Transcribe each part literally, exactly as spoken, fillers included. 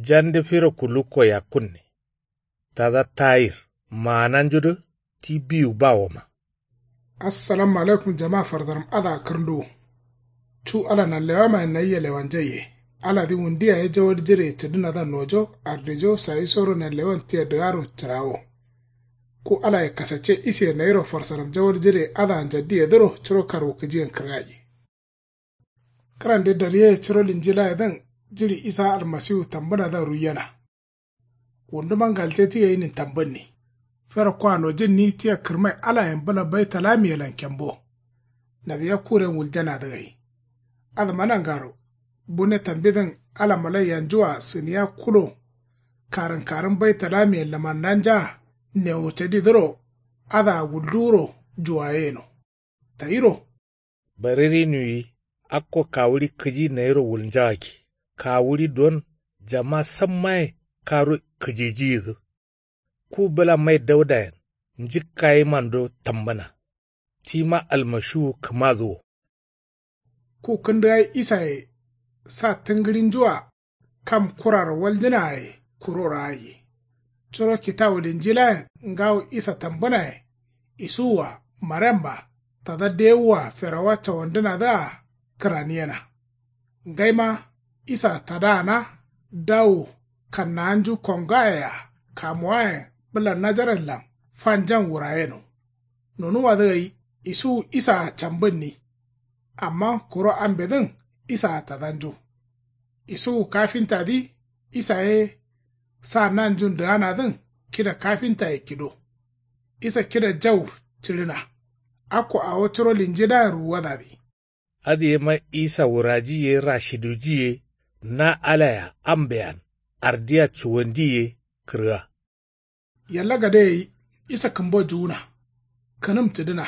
Jande firo kulukko yakkunne. Tada tayir maananjudǝ ti biwu bawoma. Assalamu alaikum jama fardaram adǝa kǝrnduwu. Cu ala nanlewamayen nayia lewanjaiye. Aladǝ wundu yaye jawal jireye cǝdǝnadǝa nojo ardejo sayisoro nanlewan tia dǝgaro cǝrawo. Ku alaye kasacce isiye nayiro farsaram jawal jireye adǝa njaddiyedǝro curo karwukǝjiyen kǝrgai. Kǝrande daryeye curo linjilayedǝn jiɍi isa almasiwu tambǝnadǝa ruiyena. Wunduma ngalte ti gainin tambǝnni. Fero kwa nojǝnni tia kǝrmai alayen bǝla baitalamelan kembo. Nawiya kuren wuljanadǝ gai. Adǝma nangaro bune tambidǝn ala malaiyanjua sǝniya kulo. Karǝnkarǝn baitalamiyen lamannanjaa newo cadidǝro adǝa wulduwuro juwaye yeno. Tayiro. Baririnuwi akko kawuɍi kǝji nayiro wulnjagakki. Kawuɍi duwon jama sammaye karu kǝjijiyidǝ. Ku bǝla mai daudayen njǝkkayimando tambǝna. Tima almashiwu kǝmadǝ wo. Ku kǝndǝgai isaye sa tǝngǝɍinjua kam kuraro waljǝna ye kuroro aiye. Curo kitawu linjilayen ngawo isa tambǝnaye. Isuwwa maremma tada dewuwa ferowa cawandǝnadǝa kǝraniyena. Ngaima isa tadaana dawu kannawanju kongaye-a kamuwayen bǝla najaretlan fanjan wurayeno. Nonuwadǝ gai isuwu isaa cambǝnni. Amma kuro ambedǝn isaa tadanju. Isuwu kafintadǝ isa ye sa nanjun dǝganadǝn kida kafintaye kido. Isa kida jau cǝɍǝna. Akko awo curo linjilayen ruwuwadadǝ. Adǝ yema isa wuraji ye rashiduji ye na alaya ambeyan ardiya cuwandi ye kǝrga. Yalla gade gai isa kǝmbo juwuna. Kǝnǝm cǝdǝna.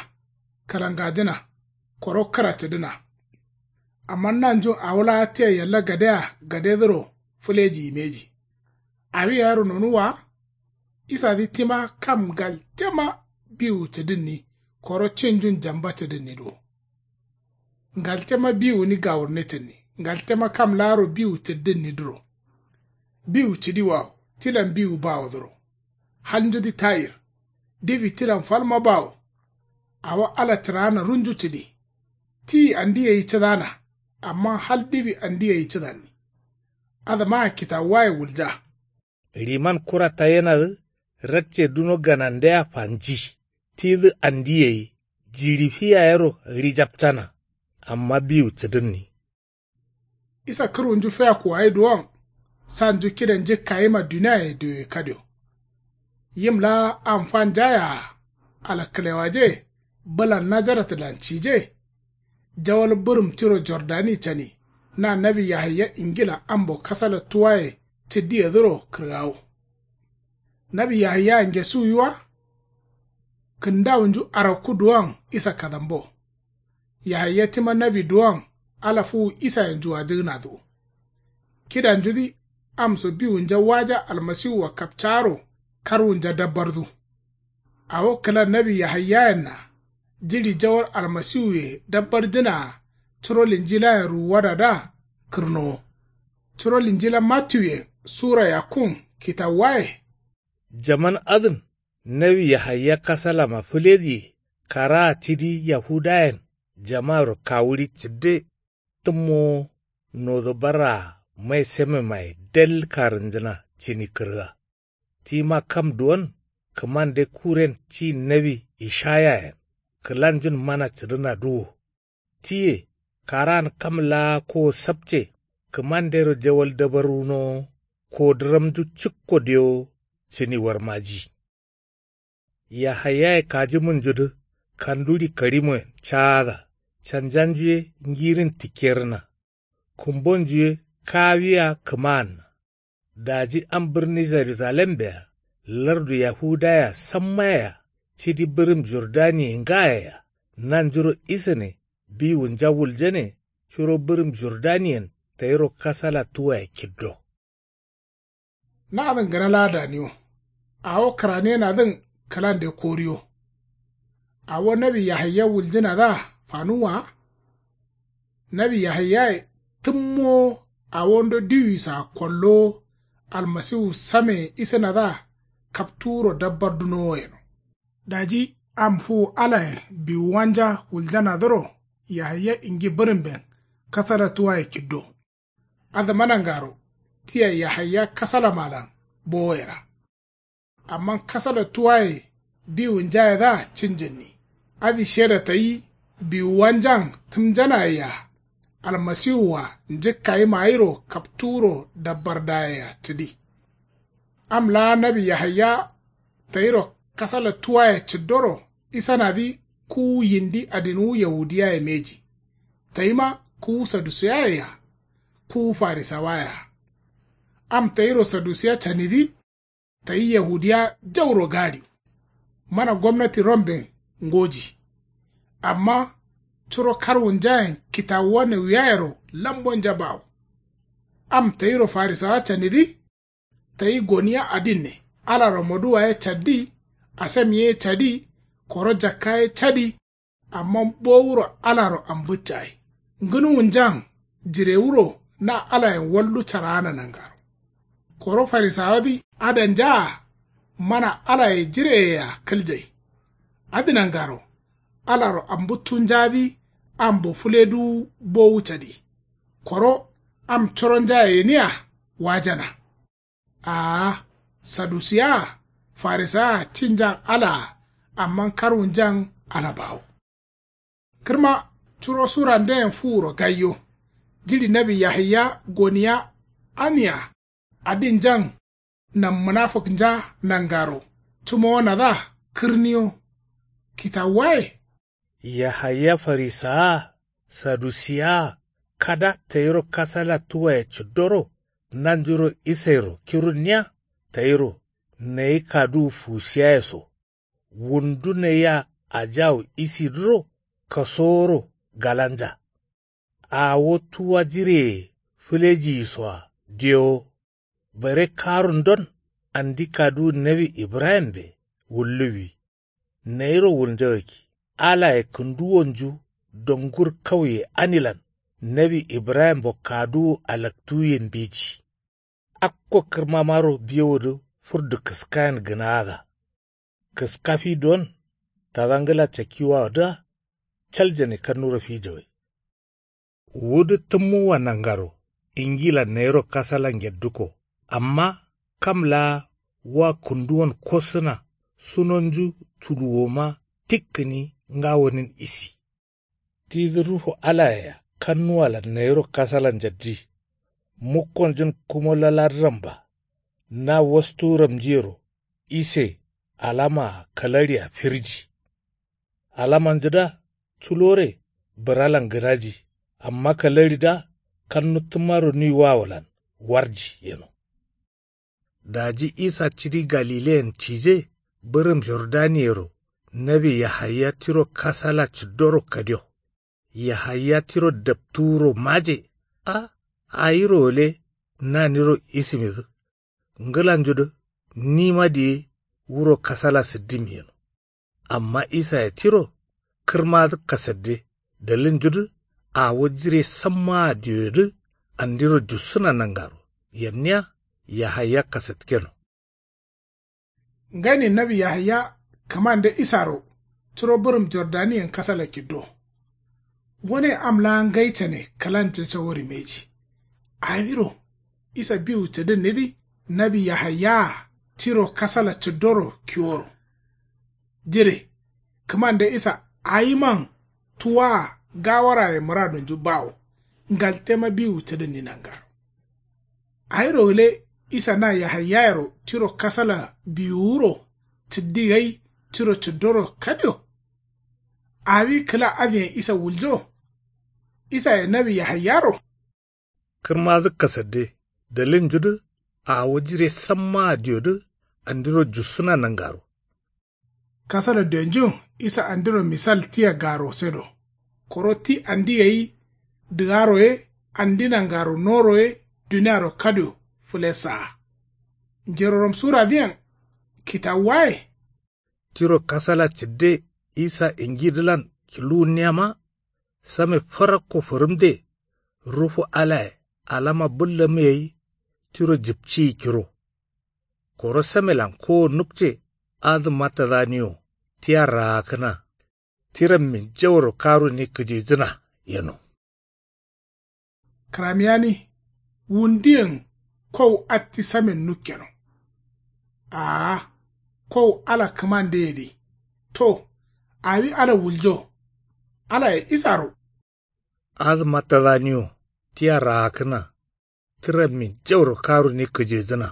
Kalangajǝna. Koro kǝra cǝdǝna. Amma nanjun awo laa tia yalla gadea gadedǝro fǝleji yimeji. Awi yayero nonuwwa. Isadǝ tima kam ngaltema biwu cǝdǝnni koro cinjun jamba cǝdǝnniduwo. Ngaltema biwuni gawurne cǝdǝnni ngaltema kam laaro biwu cǝddǝnnidǝro. Biwu cǝdiwawo tilan biwu bawodǝro. Halnjudǝ tayir. Diwi tilan falma bawo. Awo ala cǝraana runju cǝdi. Tiyi andi gai cǝdana. Amma hal diwi andi gai cǝdanni. Adǝmaa kitawuwaye wulja. Riman kura tayenadǝ rakce duno ganandea fanji. Tidǝ andi gai jiɍi fi yayero ɍijapcana. Amma biwu cǝdǝnni. Isa kǝrwunju feyakku gai duwon sanju kida njǝkkayima duniaye diwe kadio. Yim laa am fanjayea alakkǝlewaje bǝlan najaratlan cije. Jawal bǝrǝm tiro jordani cani na nawi yahaya ingilan ambo kasala tuwaye cǝddiyedǝro kǝrgawo. Nawi yahaya ngesuwi wa. Kǝndawunju arakku duwon isa kadambo. Yahaya tima nawi duwon ala fuwu isayen juwajǝgǝnadǝ wo. Kidanjudǝ amso biwunja waja almasiwua kapcaaro karwunja dabbardu. Awo kǝla nawi yahayayenna jiɍi jawal almasiwuye dabbarjǝnaa curo linjilayen ruwuwadadǝa kǝrnowo. Curo linjila mattiwuyen sura yakkun kitawuwaye. Jaman adǝn nawi yahaya kasalama fǝlediye karaa tidi yahudayen jamaaro kawuɍi cǝdde. Tǝmmowo nodo barraa mai sememaye dal karǝnjǝna cǝni kǝrga. Tima kam duwon kǝmande kuren ci nawi ishayayen kǝlanjun mana cǝdǝnadǝ wo. Tiye karaan kam laa kowo sapce kǝmandero jawal dabarwunowo kodǝramju cǝkko dewo cǝni warmaji. Yahayaye kajǝmunjudǝ kanduɍi karimoyen caada canjanju ye ngirin tikkerǝna. Kumbonju ye kawiya kǝmaanna. Daji am bǝrni jerusalembea lardu yahudayea sammayea cidi bǝrǝm jordaniye ngayeya nanjuro isane biwunja wuljane curo bǝrǝm jordaniyen tayiro kasala tuwaye kiddo. Nadǝn gǝna laa daniwo. Awo kǝraniyenadǝn kǝlande koriyo. Awo nawi yahaya wuljǝnadǝa fanuwwa wa. Nawi yahayaye tǝmmowo awondo diwisaa kollowo Almasiwu sameyen isǝnadǝa kaptuwuro dabbardunowo yeno. Daji am fuwu alayen biwuwanja wuljanadǝro yahaya ingi bǝrǝmben kasala tuwaye kiddo. Adǝma nangaro tia yahaya kasalamalan bowoyera. Amma kasala tuwaye biwunjayedǝa cinjǝnni. Adǝ sheda tayi biwuwanjan tǝmjanaye-a almasiwua njǝkkayima gairo kaptuwuro dabbardaye-a cǝdi. Am laa nawi yahaya tayiro kasala tuwaye cǝddoro isanadǝ kuwu yindi adinwu yahudiyaye mbeji. Tayima kuwu sadusiyaye-a kuwu farisawaye-a. Am tayiro sadusiya canidǝ tayi yahudiya jauro gaɍiwu. Mana gomnati romben ngoji. Amma curo karwunjayen kitawuwa newiyayero lambonja bawo. Am tayiro farisawa canidǝ tayi goniya adinne alaro moduwa ye caddi. Asam ye cadi. Koro jakka ye cadi. Amma bowuro alaro ambǝccayi ngǝnuwunjan jirewuro na alayen wallu caraana nangaro. Koro farisawadǝ adanjaa mana alaye jireyeyea kǝljai. Adǝ nangaro alaro ambǝttunjadǝ ambo fǝleduwu bowu cadi. Koro am coronjaye gǝnia wajana. Aa, sadusiyaa farisayaa cinjan alaa amma karwunjan ala bawo. Kǝrma curo suranden fuwuro gaiyo. Jiɍi nawi yahaya goniya ania adinjan nam munafǝknja nangaro cǝmowonadǝa kǝrniyo. Kitawuwaye. Yahaya farisawa sadusiyawa kada tayiro kasala tuwaye cǝddoro nanjuro isairo kirunniya. Tayiro nayi kaduwu fuwusiyaye so wundu nayia ajawu isidǝro kasoworo galanja. Awo tuwa jireye fǝlejiyisoa diyowo. Bare karundon andi kaduwu nawi ibrahimbe wulluwwi. Nayiro wulnjagakki alaye kǝnduwonju dongur kauye anilan nawi ibrahimbo kaduwu alaktuwuye mbeji. Akko kǝrmamaro biwodǝ fǝrdu kǝskayen gǝnaada. Kǝska fidon tada ngla cakkiwawodǝa caljane kannuro fijawai. Wudǝ tǝmmuwwa nangaro ingilan nayiro kasala ngedduko. Amma kam laa wa kǝnduwon kosǝna sunonju tuluwoma tik gǝni ngawonin isi. Tidǝ ruhu alayea kannuwalan nayiro kasala njaddi. Mukkonjun kumo laladǝramba na wastuwuramjiyero ise alamaa kalaɍia firji. Alamanjudǝa culore bǝralan gǝdaji. Amma kalaɍidǝa kannu tǝmmaro nuiwawolan warji yeno. Daji isa cidi galileyen cije bǝrǝm jordaniyero nawi yahaya tiro kasala cǝddoro kadio. Yahaya tiro daptuwuro maje. A, awiro gǝle naniro isimidǝ. Ngǝlanjudǝ nima diye wuro kasala sǝddǝmi yeno. Amma isaye tiro kǝrmadǝ kasadde dalilnjudǝ awo jire sammaa dioyedǝ andiro jussǝna nangaro yanniya yahaya kasatkeno. Nganin nawi yahaya kǝmande isaro curo bǝrǝm jordaniyen kasala kiddo. Wane am laa ngai cane kǝlanja cawo rimeji. Awiro isa biwu cǝdǝnnidǝ nawi yahayaa tiro kasala cǝddoro kiworo. Jire kǝmande isa awiman tuwaa gawaraye mǝradunju bawo. Ngaltema biwu cǝdǝnni nangaro. Awiro gǝle isa na yahayayero tiro kasala biwuwuro cǝddi gai tiro cǝddoro kadio. Awi kǝla adǝyen isa wuljo. Isaye nawi yahayaro. Kǝrmadǝ kasadde dalilnjudǝ awo jire sammaa diodǝ andiro jussǝna nangaro. Kasala dionjun isa andiro misal tia garosedo. Koro ti andi gai dǝgaro ye andi nangaro noro ye duniaro kadio fǝlessaa. Njerorom suradǝyen kitawuwaye. Tiro kasala cǝdde isa ingidǝlan kiluwunniyama same farakko fǝrǝmde. Rufu alaye alama bǝllamǝ gai tiro jipciyi kiro. Koro samelan kowo nukce adǝma tadaniwo tia raakkǝna. Tirammin jauro karuni kǝjijǝna yeno. Kǝramiyani wundiyen kow atti samen nukkeno. Aa kow ala kǝmandeyedǝ to awi ala wuljo. Alaye isaro. Adǝma tadaniwo tia raakkǝna. Tǝrammin jauro karuni kǝjejǝna.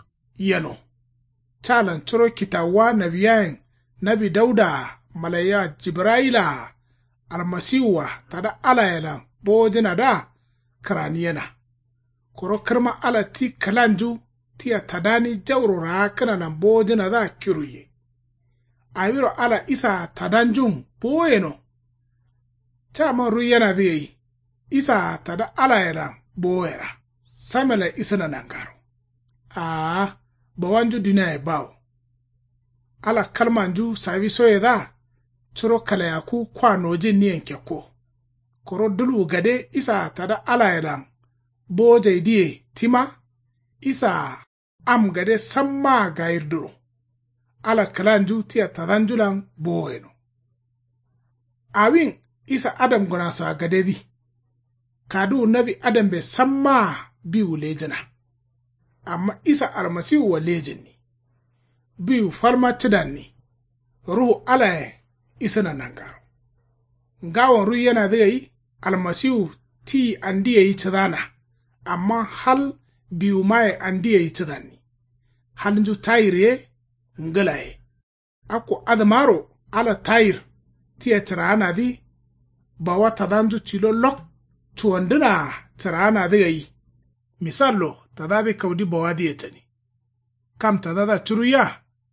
Yeno. Calan curo kitawuwa nawiyayen nawi daudaa malaiya jibrayilaa almasiwua tada alayelan bowojǝnadǝa kǝraniyena. Koro kǝrma ala ti kǝlanju tia tadani jauro raakkǝnalan bowojǝnadǝa kiruiye. Awiro ala isaa tadanjun bowoyeno. Caman ruiyenadǝ gai isaa tada alayelan bowoyera. Samelan isǝna nangaro. Aa bawanju duniaye bawo. Ala kalmanju sawisoyedǝa curo kalayakku kwa nojinniyen kekko. Koro dulwu gade isaa tada alayelan bowojaidǝye tima isaa am gade sammaa gayirdǝro. Ala kǝlanju tia tadanjulan bowoyeno. Awin isa adamgǝnasoa gadedǝ. Kaduwu nawi adambe sammaa biwu lejǝna. Amma isa almasiwua lejǝnni. Biwu falma cǝdanni. Ruhu alayen isǝna nangaro. Ngawon ruiyenadǝ gai almasiwu tiyi andi gai cǝdana. Amma hal biwumaye andi gai cǝdanni. Halnju tayir ye ngǝla ye. Akko adǝmaro ala tayir tia cǝraanadǝ. Bawa tadanju tilo lok cuwandǝnaa cǝraanadǝ gai. Misallo tadadǝ kaudi bawadǝye cani. Kam tadadǝa curuiya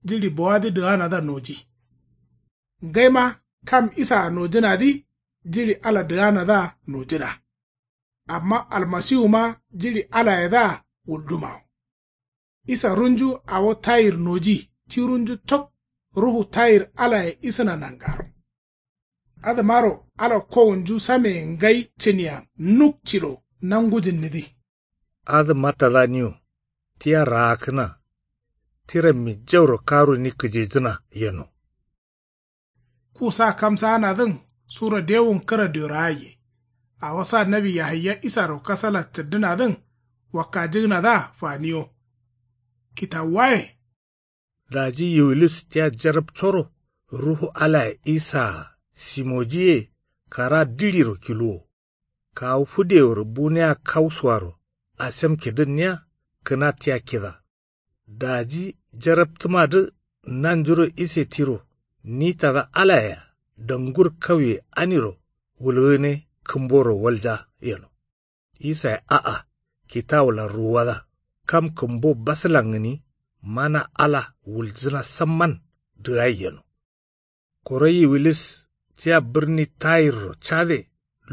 jiɍi bawadǝ dǝganadǝa noji. Ngaima kam isaa nojǝnadǝ jiɍi ala dǝganadǝa nojǝna. Amma almasiwuma jiɍi alayedǝa wuldumawo. Isa runju awo tayir noji ti runju tok. Ruhu tayir alaye isǝna nangaro. Adǝmaro ala kowunju sameye ngai cǝniyan nuk ciro nangujǝnnidǝ. Adǝma tadaniwo tia raakkǝna. Tirammin jauro karuni kǝjijǝna yeno. Ku sa kamsaanadǝn suro dewun kǝra dioraaiye. Awo sa nawi yahaya isaro kasala cǝddǝnadǝn wakkajǝgǝnadǝa faniyo. Kitawuwaye. Daji yiwulis tia jarapcoro ruhu alaye isaa simojiye kara diɍiro kiluwo. Kawu fǝdeworo buniya kausuwaro asem kidǝnniya kǝna tia kida. Daji jaraptǝmadǝ nanjuro ise tiro ni tada alayea dangur kauye aniro wulgǝne kǝmboro walja yeno. Isaye a'a kitawulan ruwuwada kam kǝmbo basǝlan gǝni mana ala wuljǝna samman dǝgai yeno. Koro yiwilis tia bǝrni tayirro cade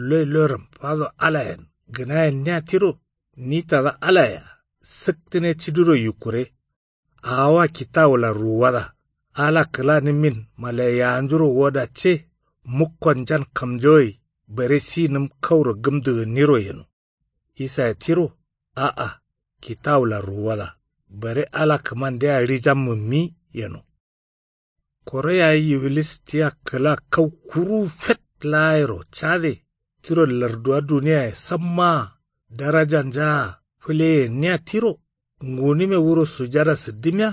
loi loiram fado alayen gǝnayenniya tiro ni tada alayea sǝktǝne cidiro yukkure. Awowa kitawulan ruwuwada ala kǝlanǝmmin malaiyawanjuro woda ce mukkonjan kamjogai bare sinǝm kauro gǝmdǝgǝnniro yeno. Isaye tiro a'a kitawulan ruwuwada bare ala kǝmandea ɍijammǝmmi yeno. Koro yayi yiwilis tia kǝla kau kuruwu fet laayero cade tiro larduwa duniyaye sammaa darajanjaa fǝleyenniya tiro ngunǝme wuro sujada sǝddimiya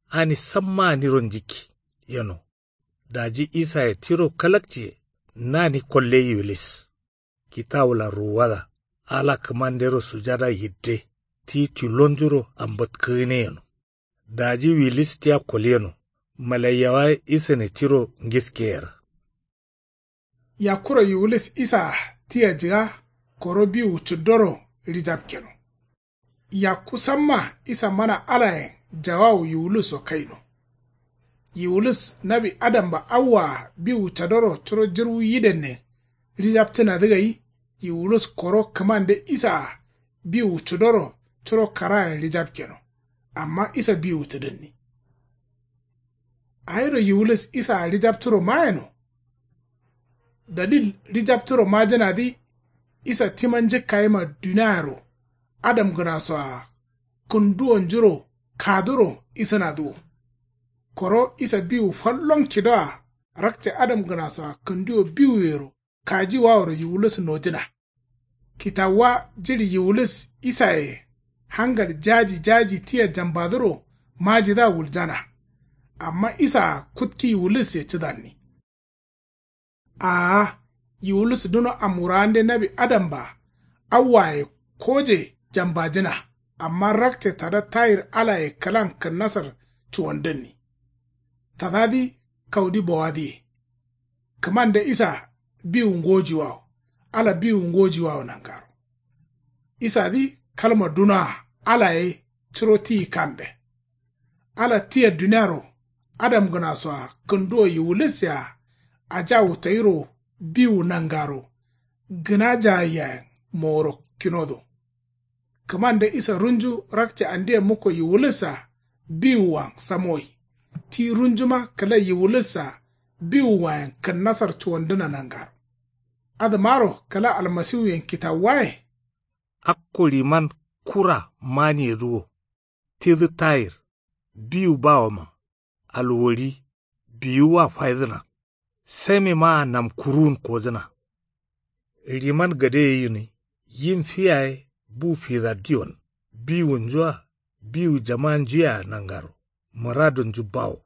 ani sammaa niro njikki yeno. Daji isaye tiro kalakciye nani kolle yiwilis. Kitawulan ruwuwada ala kǝmandero sujada yidde ti tilonjuro ambatkǝgǝne yeno. Daji wilis tia kolyeno malaiyawaye isane tiro ngiskeyera. Yakkuro yiwulis isaa tia jǝga koro biwu cǝddoro ɍijapkeno. Yakku samma isa mana alayen jawawu yiwuluso kaino. Yiwulus nawi adamba awwaa biwu cadoro curo jǝrwu yidenne ɍijapcǝnadǝ gai. Yiwulus koro kǝmande isaa biwu cǝdoro curo karayen ɍijapkeno. Amma isa biwu cǝdǝnni. Awiro yiwulis isaa ɍijapturo mayeno. Dalil ɍijapturo majǝnadǝ isa tima njǝkkayima duniayero adamgǝnasoa kǝnduwonjuro kaduro isǝnadǝ wo. Koro isa biwu fallon kidoa rakce adamgǝnasoa kǝnduwo biwuyero kajiwaworo yiwulis nojǝna. Kitawuwa jiɍi yiwulis isaye hangal jaji jaji tia jambadǝro majidǝa wuljana. Amma isaa kutki yiwulisye cǝdanni. Aa, yiwulis duno amwurawande nawi adamba awwaye koje jambajǝna. Amma rakce tada tayir alaye kǝlan kǝnnasar cuwandǝnni. Tadadǝ kaudi bowadǝye. Kǝmande isa biwu ngojiwawo. Ala biwu ngojiwawo nangaro. Isadǝ kalma dunoa alaye curo tiyi kambe. Ala tia duniaro adamgǝnasoa kǝnduwo yiwulis-a ajawu tayiro biwu nangaro gǝna jayayyayen moworo kinodo. Kǝmande isa runju rakce andeyen mukko yiwulis-a biwuwan samoyi. Ti runjuma kǝla yiwulis-a biwuwayen kǝnnasar cuwandǝna nangaro. Adǝmaro kǝla almasiwuyen kitawuwaye. Akko riman kura maniyedǝ wo. Tidǝ tayir biwu bawoma alwori biwuwa faidǝna. Samimaa namkuruwun kodǝna. Riman gadeye gǝni yin fi yaye bu fidaddiyon biwunju-a biwu jamanju yea nangaro mǝradunju bawo.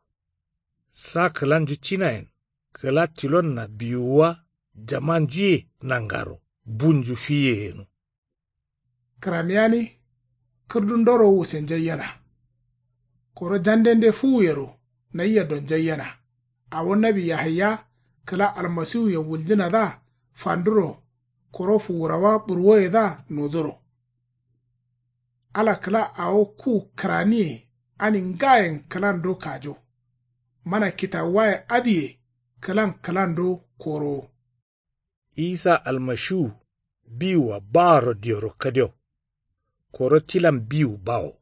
Sa kǝlanju cinayen kǝla tilonna biwuwa jamanju ye nangaro bunju fiye yeno. Kǝramiyani kǝrdundoro wusenjaiyena. Koro jandende fuwuyero nayia donjaiyena. Awo nawi yahaya kǝla almasiwuyen wuljǝnadǝa fanduro koro fuwurawa burwoyedǝa noduro. Ala kǝla awo ku kǝraniye ani ngayen kǝlando kajo. Mana kitawuwaye adǝye kǝlan kǝlando korowo. Isa almashiwu biwua baworo dioro kadio. Koro tilan biwu bawo.